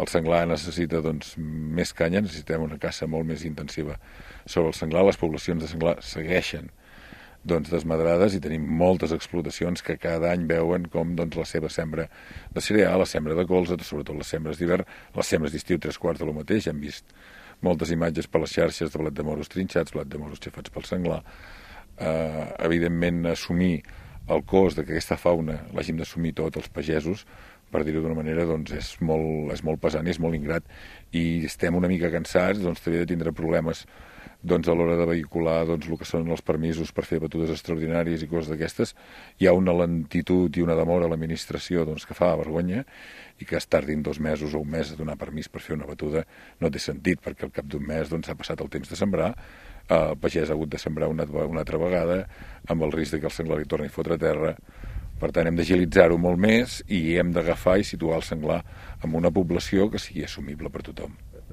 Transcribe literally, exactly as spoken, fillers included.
El senglar necessita doncs, més canya, necessitem una caça molt més intensiva sobre el senglar. Les poblacions de senglar segueixen doncs, desmadrades i tenim moltes explotacions que cada any veuen com doncs, la seva sembra de cereal, la sembra de colza, sobretot les sembres d'hivern, les sembres d'estiu tres quarts de lo mateix. Hem vist moltes imatges per les xarxes de blat de moros trinxats, blat de moros xafats pel senglar. Eh, evidentment, assumir el cost de que aquesta fauna l'hàgim d'assumir tots els pagesos, per dir-ho d'una manera, doncs és molt, és molt pesant i és molt ingrat, i estem una mica cansats doncs, també de tindre problemes doncs, a l'hora de vehicular doncs, el que són els permisos per fer batudes extraordinàries i coses d'aquestes. Hi ha una lentitud i una demora a l'administració doncs, que fa vergonya, i que es tardin dos mesos o un mes a donar permís per fer una batuda no té sentit, perquè al cap d'un mes doncs, s'ha passat el temps de sembrar, el pagès ha hagut de sembrar una, una altra vegada, amb el risc de que el senglar li torni a fotre a terra. Per tant, hem d'agilitzar-ho molt més i hem d'agafar i situar el senglar en una població que sigui assumible per tothom.